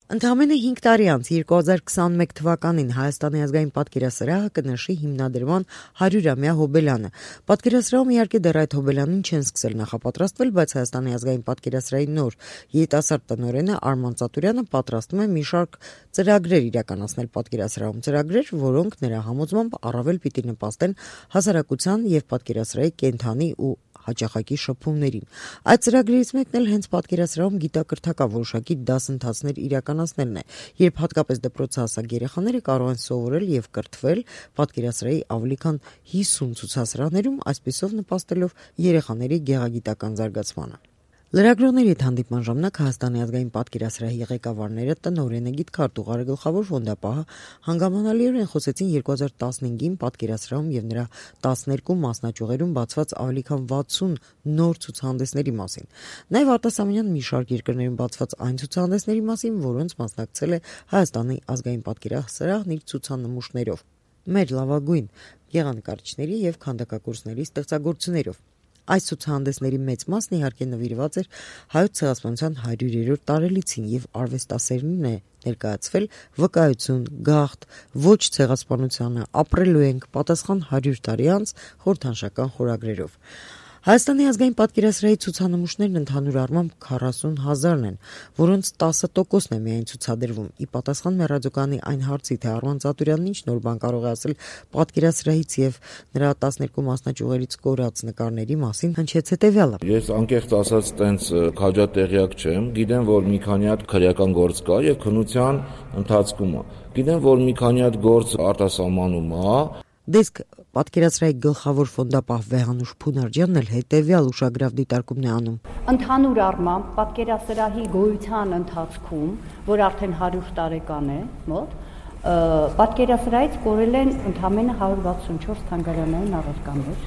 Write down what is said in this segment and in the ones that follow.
Ընդամենը 5 տարի անց 2021 թվականին Հայաստանի ազգային պատկերասրահը կնշի հիմնադրման 100-ամյա հոբելյանը։ Պատկերասրահում իհարկե դեռ այդ հոբելյանին չեն սկսել նախապատրաստվել, բայց Հայաստանի ազգային պատկերասրահի նոր երիտասարդ տնօրենը Արման Ծատուրյանը պատրաստում է մի շարք ծրագրեր իրականացնել պատկերասրահում, ծրագրեր, որոնք նրա համոզմամբ առավել պիտի նպաստեն հասարակության եւ պատկերասրահի կենդանի ու հաճախակի շփումներին։ Այդ ծրագրերից մեկն էլ հենց պատկերասրահում գիտակրթական որոշակի դասընթացներ իրականացնելն է, երբ հատկապես դպրոցահասակ երեխաները կարող են սովորել եւ կրթվել պատկերասրահի ավելի քան 50 ցուցասրահներում, այսպիսով նպաստելով երեխաների գեղագիտական զարգացմանը։ Լրագրողների հետ հանդիպման ժամանակ Հայաստանի ազգային պատկերասրահի ղեկավարները, տնօրենը, գիտքարտուղարը, գլխավոր ֆոնդապահը հանգամանալիորեն խոսեցին 2015-ին պատկերասրահում եւ նրա 12 մասնաճյուղերում բացված ավելի քան 60 նոր ցուցահանդեսների մասին։ Նաեւ արտասահմանյան մի շարք երկրներում բացված այն ցուցահանդեսների մասին, որոնց մասնակցել է Հայաստանի ազգային պատկերասրահն իր ցուցանմուշներով, մեր լավագույն գեղանկարիչների եւ քանդակագործների ստեղծագործություններով։ Այս ցուցահանդեսների մեծ մասն իհարկե նվիրված էր հայոց ցեղասպանության 100-րդ տարելիցին եւ արվեստասերին է ներկայացվել վկայություն, գաղթ, ոչ ցեղասպանությանը, ապրելու ենք, պատասխան 100 տարի անց խորհրդանշական խորագրերով։ Հայաստանի ազգային պատկերասրահի ցուցանմուշներն ընդհանուր առմամբ 40,000-ն են, որոնց 10%-ն է միայն ցուցադրվում։ Ի պատասխան մեր ռադիոկայանի այն հարցի, թե Արման Ծատուրյանն ինչ նոր բան կարող է ասել պատկերասրահից եւ նրա 12 մասնաճյուղերից կորած նկարների մասին, հնչեց հետեւյալը. Ես անկեղծ ասած տենց քաջատեղյակ չեմ, գիտեմ, որ մի քանի հատ քրեական գործ կա եւ քննության ընթացքում է։ Գիտեմ, որ մի քանի հատ գործ արտասահմանում է։ Դեսկ պատկերասրահի գլխավոր ֆոնդապահ Վեհանուշ Փունարջյանն էլ հետևյալ ուշագրավ դիտարկումն է անում։ Ընդհանուր առմամբ պատկերասրահի գոյության ընթացքում, որ արդեն 100 տարեկան է մոտ, պատկերասրահից կորել են ընդամենը 164 թանգարանային առարկաներ։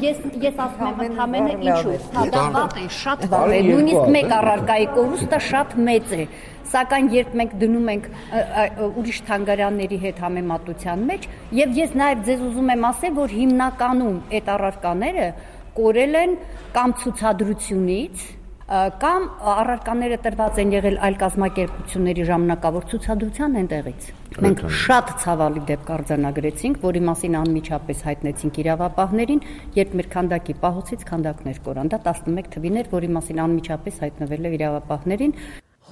Ես ասում եմ ընդամենը ինչու, դա վատ է, շատ վատ է, նույնիսկ մեկ առարկայի կորուստը շատ մեծ է, սակայն երբ մենք դնում ենք ուրիշ թանգարանների հետ համեմատության մեջ, եւ ես նաեւ ձեզ ուզում եմ ասել, որ հիմնականում այդ առարկաները կորել են կամ ցուցադրությունից, կամ առարկաները տրված են եղել այլ կազմակերպությունների ժամանակավոր ցուցադրության այնտեղից։ Մենք շատ ցավալի դեպք արձանագրեցինք, որի մասին անմիջապես հայտնեցինք իրավապահներին, երբ մեր քանդակի պահոցից քանդակներ կորան։ Դա 11 թվին էր, որի մասին անմիջապես հայտնվել է իրավապահներին։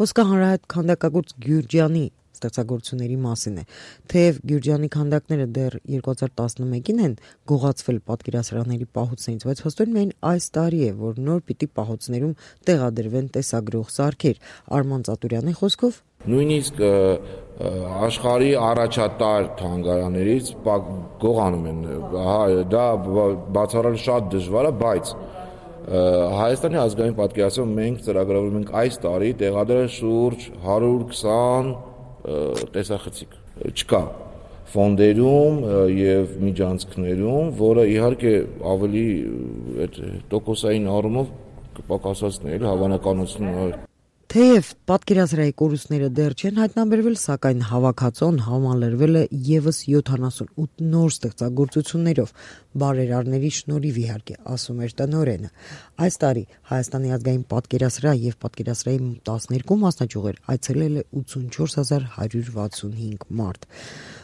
Խոսքը հանրահայտ քանդակագործ Գյուրջյանի ստեղծագործությունների մասին է։ Թեև Գյուրջյանի քանդակները դեռ 2011-ին են գողացվել պատկերասրահների պահոցներից, բայց հստակ միայն այս տարի է, որ նոր պիտի պահոցներում տեղադրվեն տեսագրող սարքեր։ Արման Ծատուրյանի խոսքով նույնիսկ աշխարհի առաջատար թանգարաններից գողանում են։ Դա բացառել շատ դժվար է, բայց Հայաստանի ազգային պատկերասրահում մենք ծրագրավորում ենք այս տարի տեղադրել շուրջ 120 տեսախցիկ չկա ֆոնդերում եւ միջանցքներում, որը իհարկե ավելի այդ տոկոսային առումով կպակասացնի հավանականությունը։ Թեև պատկերասրահի կորուստները դեռ չեն հայտնաբերվել, սակայն հավաքածոն համալրվել է եւս 78 նոր ստեղծագործություններով, բարերարների շնորհիվ իհարկե, ասում էր տնօրենը։ Այս տարի Հայաստանի ազգային պատկերասրահ եւ պատկերասրահի 12 մասնաճյուղեր այցելել է 84165 մարդ։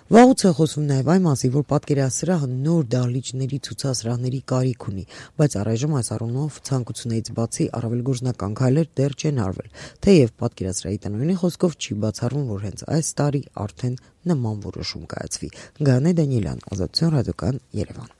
Վաղուց է խոսվում նաև այն մասին, որ պատկերասրահը նոր դահլիճների ցուցասրահների կարիք ունի, բայց առայժմ այս առումով ցանկություններից բացի առավել գործնական քայլեր դեռ չեն արվել, թեև պատկերասրահի տնօրենի խոսքով չի բացառվում, որ հենց այս տարի արդեն նման որոշում կայացվի։ Գաներ Դանիելյան, Ազատություն ռադիոկայան, Երևան։